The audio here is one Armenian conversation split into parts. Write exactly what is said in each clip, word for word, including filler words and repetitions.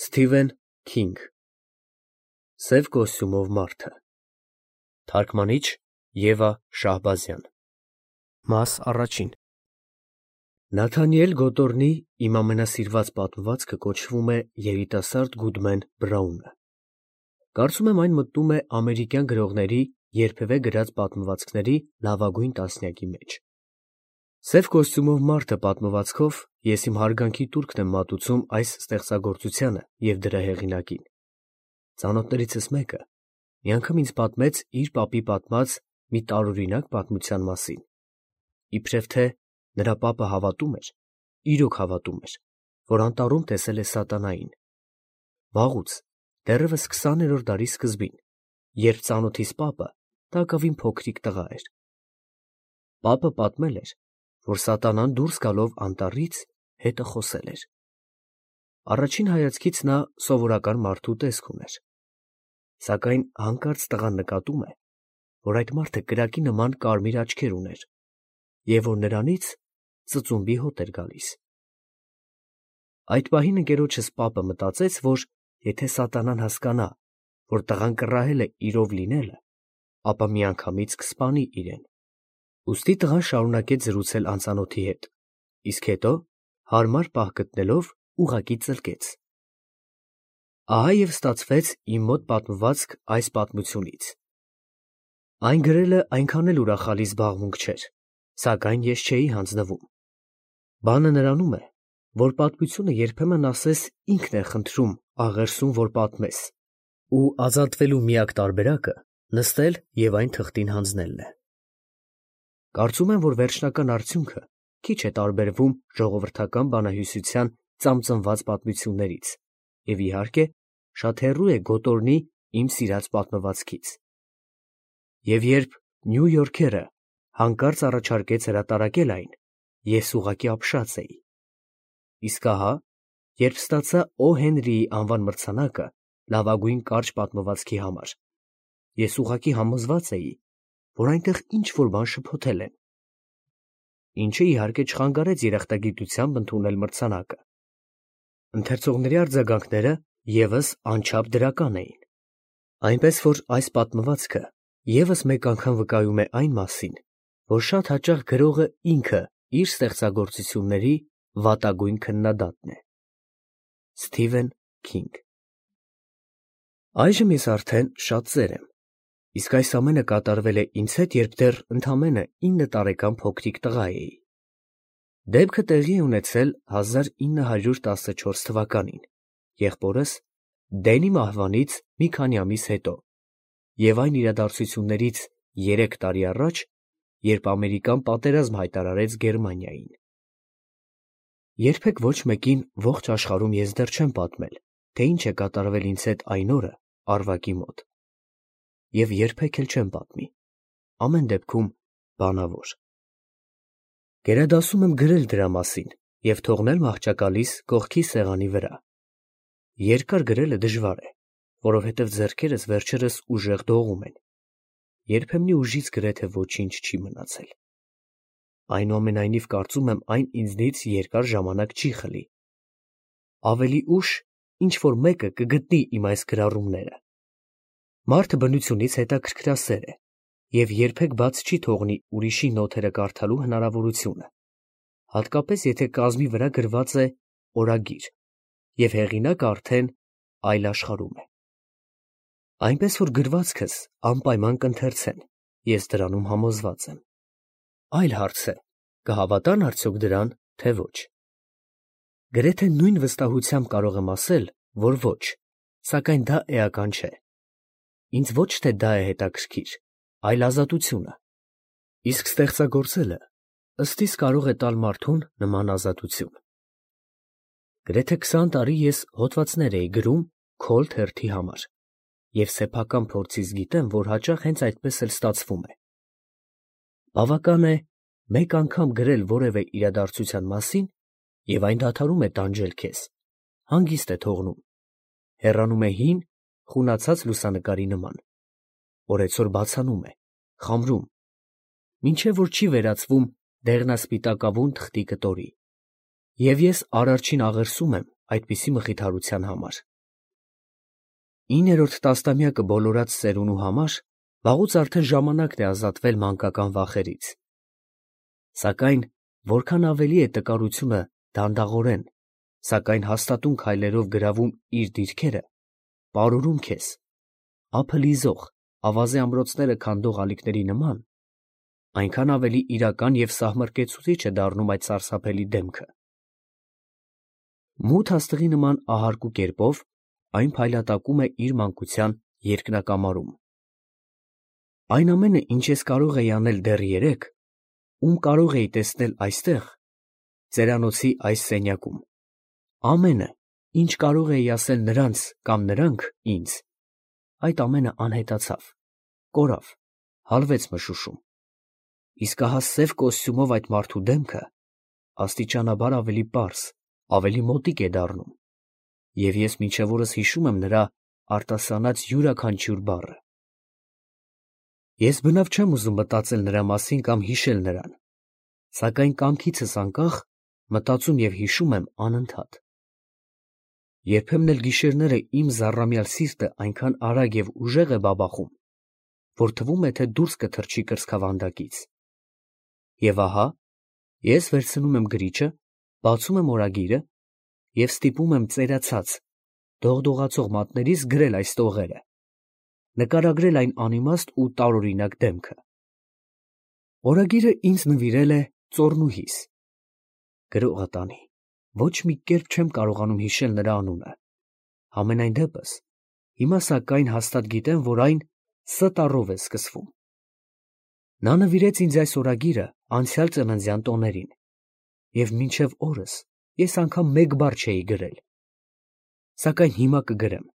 Սթիվեն Քինգ Սև կոստյումով մարդը Թարգմանիչ Եվա Շահբազյան Մաս առաջին Նաթանիել Գոտորնի իմ ամենասիրված պատմվածքը կոչվում է Երիտասարդ Գուդմեն Բրաունը։ Կարծում եմ այն մտնում է ամերիկյան գրողների երբևէ գրած պատմվածքների լավագույն տասնյակի մեջ։ Սև կոստյումով մարդը պատմվածքով ես իմ հարգանքի տուրքն եմ մատուցում այս ստեղծագործությանը և դրա հեղինակին։ Ծանոթներիցս մեկը մի անգամ ինձ պատմեց իր պապի պատմած մի տարօրինակ պատմության մասին։ Իբրև թե նրա պապը հավատում էր, իրոք հավատում էր, որ անտառում տեսել է սատանային։ Վաղուց, դեռևս քսաներորդ դարի սկզբին, երբ ծանոթիս պապը տակավին փոքրիկ տղա էր։ Պապը պատմել էր, որ սատանան դուրս գալով անտառից հետը խոսել էր։ Առաջին հայացքից նա սովորական մարդու տեսք ուներ։ Սակայն հանկարծ տղան նկատում է, որ այդ մարդը կրակի նման կարմիր աչքեր ուներ և որ նրանից ծծումբի հոտ էր գալիս։ Այդ պահին ընկերոջս պապը մտածեց, որ եթե սատանան հասկանա, որ տղան կռահել է իրով լինելը, ապա միանգամից կսպանի իրեն։ Ուստի տղան շարունակեց զրուցել անծանոթի հետ, իսկ հետո, հարմար պահ գտնելով, ուղղակի ծլկեց։ Ահա և ստացվեց իմ մոտ պատմվածք այս պատմությունից։ Այն գրելը այնքան էլ ուրախալի զբաղմունք չէր, սակայն ես չէի հանձնվում։ Բանը նրանում է, որ պատմությունը երբեմն ասես ինքն է խնդրում աղերսում, որ պատմես, ու ազատվելու միակ տարբերակը նստել և այն թղթին հանձնելն է։ Կարծում եմ, որ վերջնական արդյունքը քիչ է տարբերվում ժողովրդական բանահյուսության ծամծնված պատմություններից և, իհարկե, շատ հեռու է Գոտորնի իմ սիրած պատմվածքից։ Եվ երբ Նյու Յորքերը հանկարծ առաջարկեց հրատարակել այն, ես ուղղակի ապշած էի։ Իսկ ահա, երբ ստացա Օ. Հենրիի անվան մրցանակը լավագույն կարճ պատմվածքի համար, ես ուղղակի համոզված էի, որ այնտեղ ինչ֊որ բան շփոթել են։ Ինչը, իհարկե, չխանգարեց երախտագիտությամբ ընդունել մրցանակը։ Ընթերցողների արձագանքները ևս անչափ դրական էին։ Այնպես որ այս պատմվածքը ևս մեկ անգամ վկայում է այն մասին, որ շատ հաճախ գրողը ինքը իր ստեղծագործությունների վատագույն քննադատն է։ Սթիվեն Քինգ Այժմ ես արդեն շատ ծեր եմ, իսկ այս ամենը կատարվել է ինձ հետ, երբ դեռ ընդամենը ինը տարեկան փոքրիկ տղա էի։ Դեպքը տեղի է ունեցել հազար ինը հարյուր տասնչորս թվականին, եղբորս Դենի մահվանից մի քանի ամիս հետո, և այն իրադարձություններից երեք տարի առաջ, երբ Ամերիկան պատերազմ հայտարարեց Գերմանիային։ Երբեք ոչ մեկին ողջ աշխարհում ես դեռ չեմ պատմել, թե ինչ է կատարվել ինձ հետ այն օրը Արվակի մոտ։ Եվ երբեք էլ չեմ պատմի, ամեն դեպքում բանավոր։ Գերադասում եմ գրել դրա մասին և թողնել մահճակալիս կողքի սեղանի վրա։ Երկար գրելը դժվար է, որովհետև ձեռքերս վերջերս ուժեղ դողում են, երբեմնի ուժից գրեթե ոչինչ չի մնացել։ Այնուամենայնիվ կարծում եմ այն ինձնից երկար ժամանակ չի խլի։ Ավելի ուշ ինչ֊որ մեկը կգտնի իմ այս գրառումները։ Մարդը բնությունից հետաքրքրասեր է և երբեք բաց չի թողնի ուրիշի նոթերը կարդալու հնարավորությունը, հատկապես եթե կազմի վրա գրված է օրագիր, և հեղինակը արդեն այլ աշխարհում է։ Այնպես որ գրվածքս անպայման կընթերցեն, ես դրանում համոզված եմ։ Այլ հարց է, կհավատա՞ն արդյոք դրան, թե ոչ։ Գրեթե նույն վստահությամբ կարող եմ ասել, որ ոչ, սակայն դա էական չէ։ Ինձ ոչ թե դա է հետաքրքիր, այլ ազատությունը։ Իսկ ստեղծագործելը ըստ իս կարող է տալ մարդուն նման ազատություն։ Գրեթե քսան տարի ես հոդվածներ էի գրում Քոլթ հերթի համար, և սեփական փորձից գիտեմ, որ հաճախ հենց այդպես էլ ստացվում է։ Բավական է մեկ անգամ գրել որևէ իրադարձության մասին, և այն դադարում է տանջել քեզ, հանգիստ է թողնում, հեռանում է հին, խունացած լուսանկարի նման, օրեցօր բացանում է, խամրում, մինչև որ չի վերածվում դեղնասպիտակավուն թղթի կտորի։ Եվ ես արարչին աղերսում եմ այդպիսի մխիթարության համար։ իններորդ տասնամյակը բոլորած ծերունու համար վաղուց արդեն ժամանակն է ազատվել մանկական վախերից։ Սակայն որքան ավելի է տկարությունը դանդաղորեն, սակայն հաստատուն քայլերով գրավում իր դիրքերը, պարուրում քեզ, ափը լիզող, ավազե ամրոցները քանդող ալիքների նման, այնքան ավելի իրական և սահմռկեցուցիչ է դառնում այդ սարսափելի դեմքը։ Մութ աստղի նման ահարկու կերպով այն փայլատակում է իր մանկության երկնակամարում։ Այն ամենը, ինչ ես կարող էի անել դեռ երեկ, ում կարող էի տեսնել այստեղ, ծերանոցի այս սենյակում, ամենը, ինչ կարող էի ասել նրանց կամ նրանք ինձ, այդ ամենը անհետացավ, կորավ, հալվեց մշուշում, իսկ ահա սև կոստյումով այդ մարդու դեմքը աստիճանաբար ավելի պարզ, ավելի մոտիկ է դառնում, և ես մինչև օրս հիշում եմ նրա արտասանած յուրաքանչյուր բառը։ Ես բնավ չեմ ուզում մտածել նրա մասին կամ հիշել նրան, սակայն կամքիցս անկախ մտածում և հիշում եմ անընդհատ։ Երբեմն էլ գիշերները իմ զառամյալ սիրտը այնքան արագ և ուժեղ է բաբախում, որ թվում է, թե դուրս կթռչի կրծքավանդակից։ Եվ ահա ես վերցնում եմ գրիչը, բացում եմ օրագիրը և ստիպում եմ ծերացած, դողդողացող մատներիս գրել այս տողերը, նկարագրել այն անիմաստ ու տարօրինակ դեմքը։ Օրագիրը ինձ նվիրել է ծոռնուհիս։ Գրողը տանի, ոչ մի կերպ չեմ կարողանում հիշել նրա անունը, համենայն դեպս, հիմա սակայն հաստատ գիտեմ, որ այն Ս տառով է սկսվում։ Նա նվիրեց ինձ այս օրագիրը անցյալ ծննդյան տոներին, և մինչև օրս ես անգամ մեկ բառ չէի գրել, սակայն հիմա կգրեմ։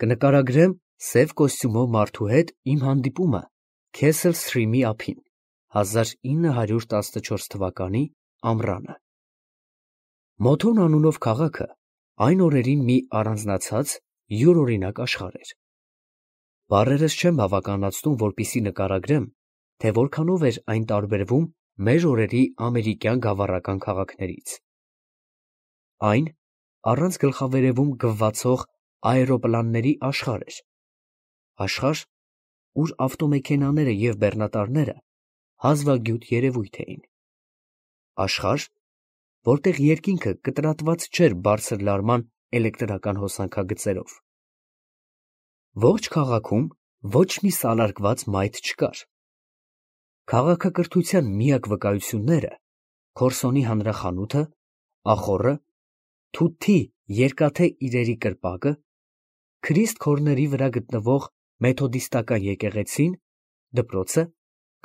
Կնկարագրեմ սև կոստյումով մարդու հետ իմ հանդիպումը Քեսել Սթրիմի ափին, հազար ինը հարյուր տասնչորս թվականի ամռանը։ Մոթոն անունով քաղաքը այն օրերին մի առանձնացած, յուրօրինակ աշխարհ էր։ Բառերս չեմ բավականացնում, որպեսզի նկարագրեմ, թե որքանով էր այն տարբերվում մեր օրերի ամերիկյան գավառական քաղաքներից։ Այն առանց գլխավերևում գվվացող աերոպլանների աշխարհ էր, աշխարհ, ուր ավտոմեքենաները և բեռնատարները հազվագյուտ երևույթ էին, աշխարհ, որտեղ երկինքը կտրատված չէր բարձր լարման էլեկտրական հոսանքագծերով։ Ողջ քաղաքում ոչ մի սալարկված մայթ չկար։ Քաղաքակրթության միակ վկայությունները Քորսոնի հանրախանութը, ախոռը, թութի երկաթե իրերի կրպակը, Քրիստ Քորների վրա գտնվող մեթոդիստական եկեղեցին, դպրոցը,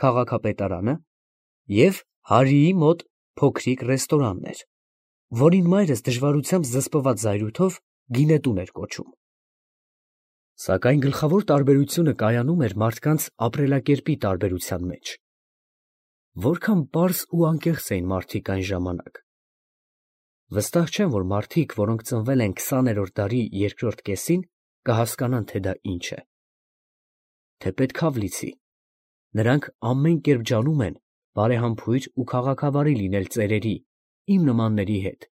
քաղաքապետարանը և Հարիի մոտ փոքրիկ ռեստորանն էր, որին մայրս դժվարությամբ զսպված զայրույթով գինետուն էր կոչում։ Սակայն գլխավոր տարբերությունը կայանում էր մարդկանց ապրելակերպի տարբերության մեջ։ Որքան պարզ ու անկեղծ էին մարդիկ այն ժամանակ։ Վստահ չեմ, որ մարդիկ, որոնք ծնվել են քսաներորդ դարի երկրորդ կեսին, կհասկանան, թե դա ինչ է։ Թեպետ Քավլիցի, նրանք ամեն կերպ ջանում են բարեհամբույր ու քաղաքավարի լինել ծերերի, իմ նմանների հետ։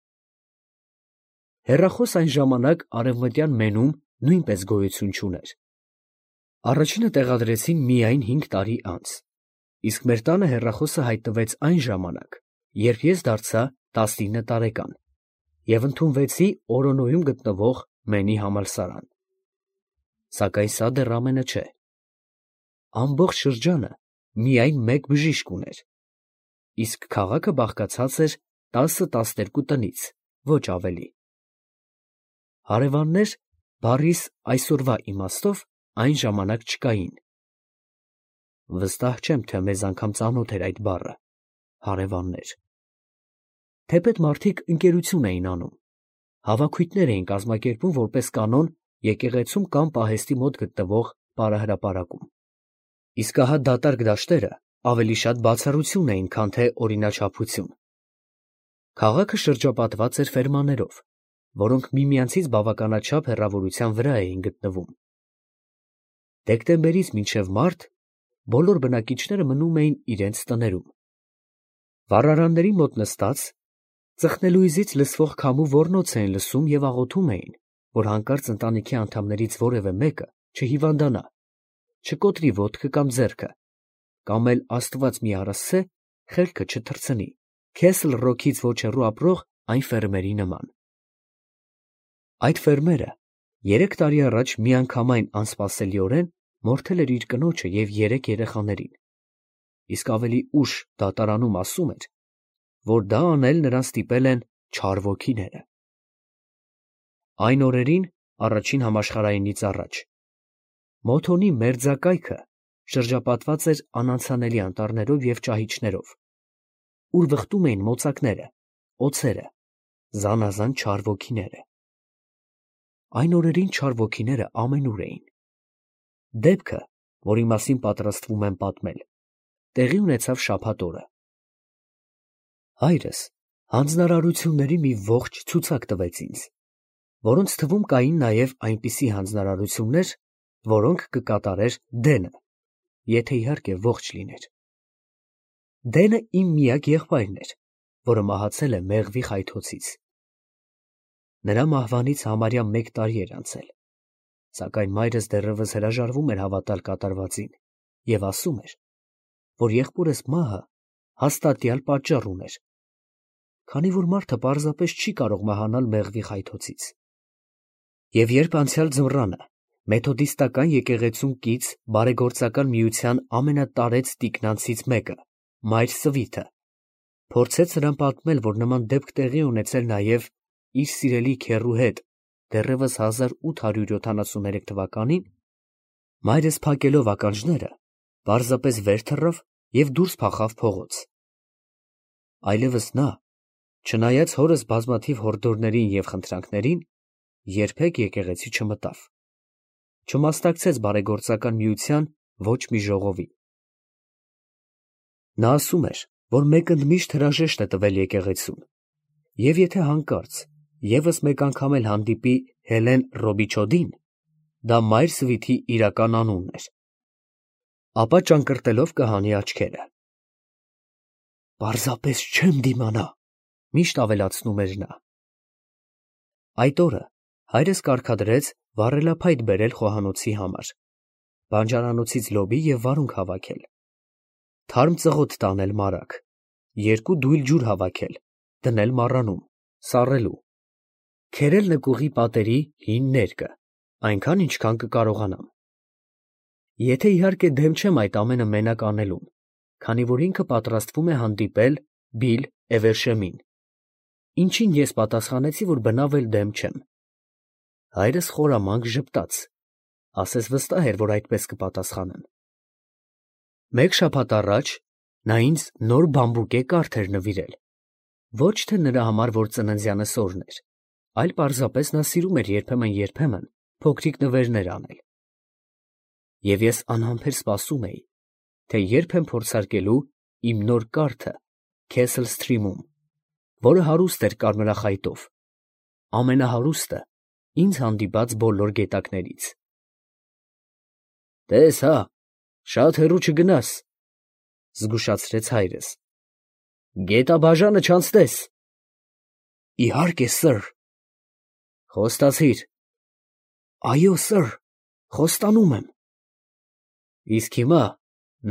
Հեռախոս այն ժամանակ արևմտյան Մենում նույնպես գոյություն չուներ։ Առաջինը տեղադրեցին միայն հինգ տարի անց, իսկ մեր տանը հեռախոսը հայտնվեց այն ժամանակ, երբ ես դարձա տասնինը տարեկան և ընդունվեցի Օրոնոյում գտնվող Մենի համալսարան։ Սակայն սա դեռ ամենը չէ։ Ամբողջ շրջանը միայն մեկ բժիշկ ուներ, իսկ քաղաքը բաղկացած էր տասը֊տասներկու տնից, ոչ ավելի։ Հարևաններ բառիս այսօրվա իմաստով այն ժամանակ չկային։ Վստահ չեմ, թե մեզ անգամ ծանոթ էր այդ բառը, հարևաններ։ Թեպետ մարդիկ ընկերություն էին անում, հավաքույթներ էին կազմակերպում որպես կանոն եկեղեցում կամ պահեստի մոտ գտնվող պարահրապարակում։ Իսկ ահա դատարկ դաշտերը ավելի շատ բացառություն էին, քան թե օրինաչափություն։ Քաղաքը շրջապատված էր ֆերմաներով, որոնք միմյանցից բավականաչափ հեռավորության վրա էին գտնվում։ Դեկտեմբերից մինչև մարտ բոլոր բնակիչները մնում էին իրենց տներում։ Վառարանների մոտ նստած, ծխնելույզից լսվող քամու ոռնոց էին լսում և աղոթում էին, որ հանկարծ ընտանիքի անդամներից որևէ մեկը չհիվանդանա, չկոտրի ոտքը կամ ձեռքը, կամ էլ Աստված մի առասցե խելքը չթռցնի, Քեսլ Ռոքից ոչ հեռու ապրող այն ֆերմերի նման։ Այդ ֆերմերը երեք տարի առաջ միանգամայն անսպասելիորեն մորթել էր իր կնոջը և երեք երեխաներին, իսկ ավելի ուշ դատարանում ասում էր, որ դա անել նրան ստիպել են չար ոգիները։ Այն օրերին, առաջին համաշխարհայինից առաջ, Մոթոնի մերձակայքը շրջապատված էր անանցանելի անտառներով և ճահիճներով, ուր վխտում էին մոծակները, օձերը, զանազան չար ոգիները։ Այն օրերին չար ոգիները ամենուր էին։ Դեպքը, որի մասին պատրաստվում եմ պատմել, տեղի ունեցավ շաբաթ օրը։ Հայրս հանձնարարությունների մի ողջ ցուցակ տվեց ինձ, որոնց թվում կային նաև այնպիսի հանձնարարություններ, որոնք կկատարեր Դենը, եթե իհարկե ողջ լիներ։ Դենը իմ միակ եղբայրն էր, որը մահացել է մեղվի խայթոցից։ Նրա մահվանից համարյա մեկ տարի էր անցել, սակայն մայրս դեռևս հրաժարվում էր հավատալ կատարվածին և ասում էր, որ եղբորս մահը հաստատյալ պատճառ ուներ, քանի որ մարդը պարզապես չի կարող մահանալ մեղվի խայթոցից։ Եվ երբ անցյալ ձմռանը մեթոդիստական եկեղեցուն կից բարեգործական միության ամենատարեց տիկնանցից մեկը, մայր Սվիթը, փորձեց նրան պատմել, որ նման դեպք տեղի է ունեցել նաև իր սիրելի քեռու հետ դեռևս հազար ութ հարյուր յոթանասուններեք թվականին, մայրս փակելով ականջները, պարզապես վեր թռավ և դուրս փախավ փողոց։ Այլևս նա, չնայած հորս բազմաթիվ հորդորներին և խնդրանքներին, երբեք եկեղեցի չմտավ, չմասնակցեց բարեգործական միության ոչ մի ժողովի։ Նա ասում էր, որ մեկ ընդմիշտ հրաժեշտ է տվել եկեղեցուն, և եթե հանկարծ ևս մեկ անգամ էլ հանդիպի Հելեն Ռոբիչոդին, դա մայր Սվիթի իրական անունն էր, ապա ճանկռտելով կհանի աչքերը։ «Պարզապես չեմ դիմանա», միշտ ավելացնում էր նա։ Այդ օրը հայրս կարգադրեց վառելափայտ բերել խոհանոցի համար, բանջարանոցից լոբի և վարունգ հավաքել, թարմ ծղոտ տանել մարագ, երկու դույլ ջուր հավաքել, դնել մառանում, սառելու, քերել նկուղի պատերի հին ներկը, այնքան, ինչքան կկարողանամ։ Եթե իհարկե դեմ չեմ այդ ամենը մենակ անելուն, քանի որ ինքը պատրաստվում է հանդիպել Բիլ Էվերշեմին, ինչին ես պատասխանեցի, որ բնավ էլ դեմ չեմ։ Հայրս խորամանկ ժպտաց, ասես վստահ էր, որ այդպես կպատասխանեմ։ Մեկ շաբաթ առաջ նա ինձ նոր բամբուկե կարթ էր նվիրել, ոչ թե նրա համար, որ ծննդյանս օրն էր, այլ պարզապես նա սիրում էր երբեմն֊երբեմն փոքրիկ նվերներ անել։ Եվ ես անհամբեր սպասում էի, թե երբ եմ փորձարկելու իմ նոր կարթը Քեսլ Սթրիմում, որը հարուստ էր կարմրախայտով, ամենահարուստը ինձ հանդիպած բոլոր գետակներից։ «Տես հա, շատ հեռու չգնաս», զգուշացրեց հայրս։ «Գետաբաժանը չանցնես»։ «Իհարկե, սըր»։ «Խոստացի՞ր»։ «Այո, սըր, խոստանում եմ»։ «Իսկ հիմա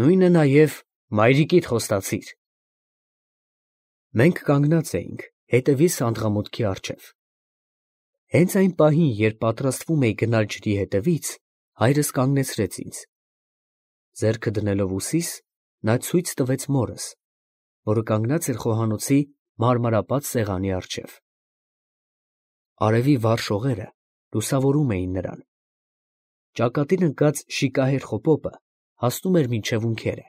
նույնը նաև մայրիկիդ խոստացի՞ր»։ Մենք կանգնած էինք հետևի սանդղամուտքի առջև։ Հենց այն պահին, երբ պատրաստվում էի գնալ ջրի հետևից, հայրս կանգնեցրեց ինձ։ Ձեռքը դնելով ուսիս, նա ցույց տվեց մորս, որը կանգնած էր խոհանոցի մարմարապատ սեղանի առջև։ Արևի վառ շողերը լուսավորում էին նրան։ Ճակատին ընկած շիկահեր խոպոպը հասնում էր մինչև ունքերը։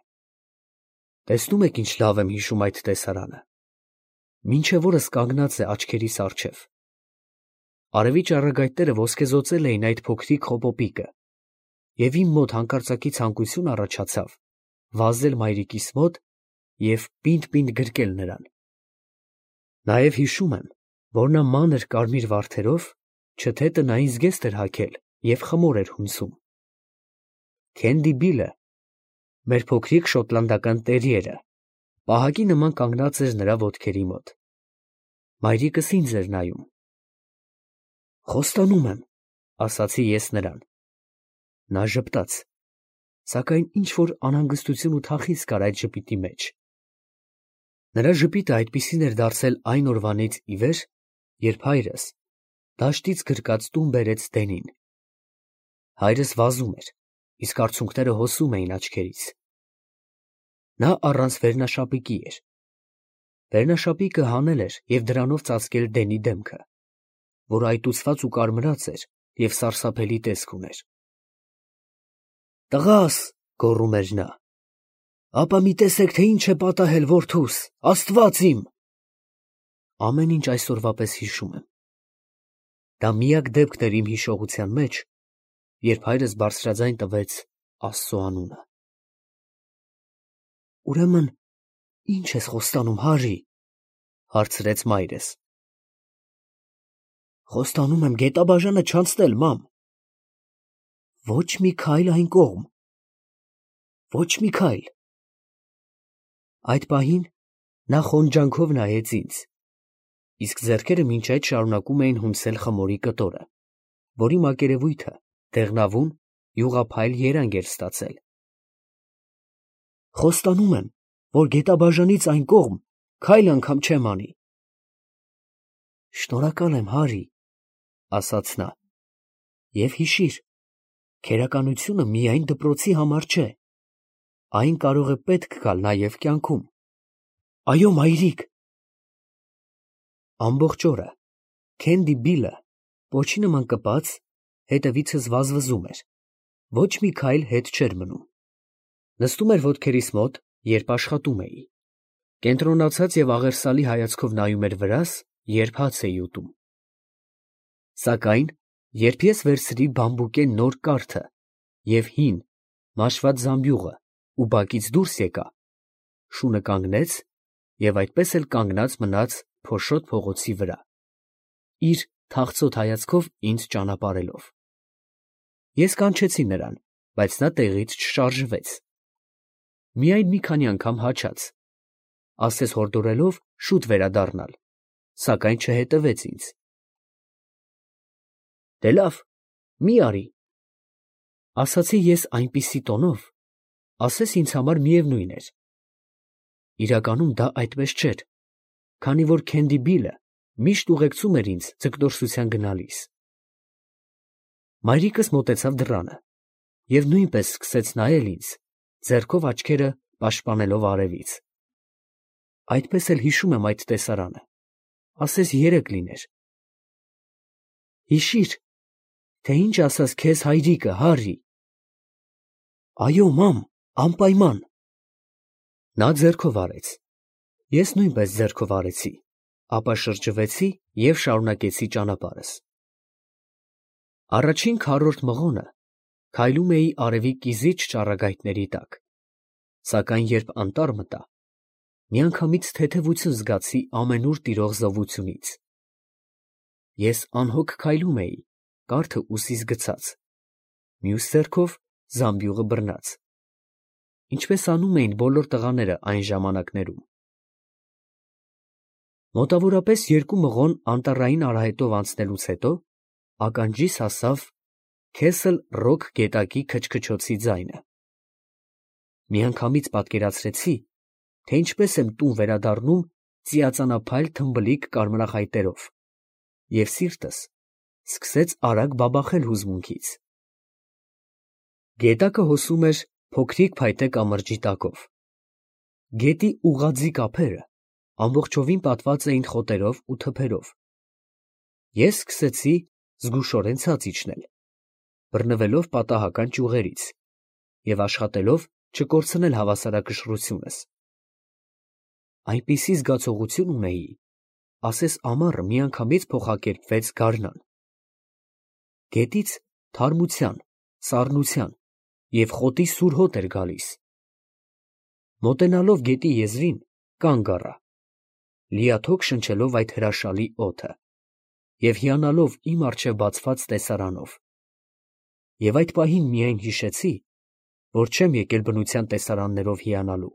Տեսնում եք ինչ լավ եմ հիշում այդ տեսարանը։ Մինչև օրս կանգնած է աչքերիս առջև։ Արևի ճառագայթները ոսկեզօծել էին այդ փոքրիկ խոպոպիկը, և իմ մոտ հանկարծակի ցանկություն առաջացավ վազել մայրիկիս մոտ և պինդ֊պինդ գրկել նրան։ Նաև հիշում եմ, որ նա մանր կարմիր վարդերով չթե տնային զգեստ էր հագել և խմոր էր հունցում։ Քենդի Բիլը, մեր փոքրիկ շոտլանդական տերիերը, պահակի նման կանգնած էր նրա ոտքերի մոտ։ Մայրիկս ինձ էր նայում։ Խոստանում եմ, ասացի ես նրան։ Նա ժպտաց, սակայն ինչ-որ անհանգստություն ու թախիծ կար այդ ժպիտի մեջ։ Նրա ժպիտը այդպիսին էր դարձել այն օրվանից ի վեր, երբ հայրս դաշտից գրկած տուն բերեց Դենին։ Հայրս վազում էր, իսկ արցունքները հոսում էին աչքերից։ Նա առանց վերնաշապիկի էր։ Վերնաշապիկը հանել էր և դրանով ծածկել Դենի դեմքը, որ այտուցված ու կարմրած էր և սարսափելի տեսք ուներ։ «Տղա՛ս», գոռում էր նա, «ապա մի տեսեք, թե ինչ է պատահել որդուս, աստված իմ»։ Ամեն ինչ այսօրվա պես հիշում եմ։ Դա միակ դեպքն էր իմ հիշողության մեջ, երբ հայրս բարձրաձայն տվեց Աստծո անունը։ «Ուրեմն ի՞նչ ես խոստանում, Հարի», հարցրեց մայրս։ «Խոստանում եմ գետաբաժանը չանցնել, մամ»։ «Ոչ մի քայլ այն կողմ, ոչ մի քայլ»։ Այդ պահին նա խոնջանքով նայեց ինձ, իսկ ձեռքերը մինչ այդ շարունակում էին հունցել խմորի կտորը, որի մակերևույթը դեղնավուն, յուղափայլ երանգ էր ստացել։ «Խոստանում եմ, որ գետաբաժանից այն կողմ քայլ անգամ չեմ անի»։ «Շնորհակալ եմ, Հարի», ասաց նա, «և հիշիր, քերականությունը միայն դպրոցի համար չէ, այն կարող է պետք գալ նաև կյանքում»։ «Այո, մայրիկ»։ Ամբողջ օրը Քենդի Բիլը, պոչի նման կպած, հետևիցս վազվզում էր, ոչ մի քայլ հետ չէր մնում։ Նստում էր ոտքերիս մոտ, երբ աշխատում էի, կենտրոնացած և աղերսալի հայացքով նայում էր վրաս, երբ հաց էի ուտում։ Սակայն երբ ես վերցրի բամբուկե նոր կառքը և հին, մաշված զամբյուղը ու բակից դուրս եկա, շունը կանգնեց և այդպես էլ կանգնած մնաց փոշոտ փողոցի վրա, իր թախծոտ հայացքով ինձ ճանապարհելով։ Ես կանչեցի նրան, բայց նա տեղից չշարժվեց, միայն մի քանի անգամ հաչաց, ասես հորդորելով շուտ վերադառնալ, սակայն չհետևեց ինձ։ «Դե լավ, մի արի», ասացի ես այնպիսի տոնով, ասես ինձ համար միևնույն էր։ Իրականում դա այդպես չէր, քանի որ Քենդի Բիլը միշտ ուղեկցում էր ինձ ձգտորսության գնալիս։ Մայրիկս մոտեցավ դռանը և նույնպես սկսեց նայել ինձ, ձեռքով աչքերը պաշտպանելով արևից։ Այդպես էլ հիշում եմ այդ տեսարանը, ասես երեկ լիներ։ «Հիշի՛ր, թե ինչ ասաց քեզ հայրիկը, Հարի»։ «Այո, մամ, անպայման»։ Նա ձեռքով արեց, ես նույնպես ձեռքով արեցի, ապա շրջվեցի և շարունակեցի ճանապարհս։ Առաջին քառորդ մղոնը քայլում էի արևի կիզիչ ճառագայթների տակ, սակայն երբ անտառ մտա, միանգամից թեթևություն զգացի ամենուր տիրող զովությունից։ Ես անհոգ քայլում էի, կարթը ուսիս գցած, մյուս ձեռքով զամբյուղը բռնած, ինչպես անում էին բոլոր տղաները այն ժամանակներում։ Մոտավորապես երկու մղոն անտառային արահետով անցնելուց հետո ականջիս հասավ Քեսլ Ռոք գետակի քչքչոցի ձայնը։ Միանգամից պատկերացրեցի, թե ինչպես եմ տուն վերադառնում ծիածանափայլ թմբլիկ կարմրախայտերով, և սիրտս սկսեց արագ բաբախել հուզմունքից։ Գետակը հոսում էր փոքրիկ փայտե կամրջի տակով։ Գետի ուղղաձիգ ափերը ամբողջովին պատված էին խոտերով ու թփերով։ Ես սկսեցի զգուշորեն ցած իջնել, բռնվելով պատահական ճյուղերից և աշխատելով չկորցնել հավասարակշռությունս։ Այնպիսի զգացողություն ունեի, ասես ամառը միանգամից փոխակերպվեց գարնան։ Գետից թարմության, սառնության և խոտի սուր հոտ էր գալիս։ Մոտենալով գետի եզրին, կանգ առա, լիաթոք շնչելով այդ հրաշալի օդը և հիանալով իմ առջև բացված տեսարանով։ Եվ այդ պահին միայն հիշեցի, որ չեմ եկել բնության տեսարաններով հիանալու,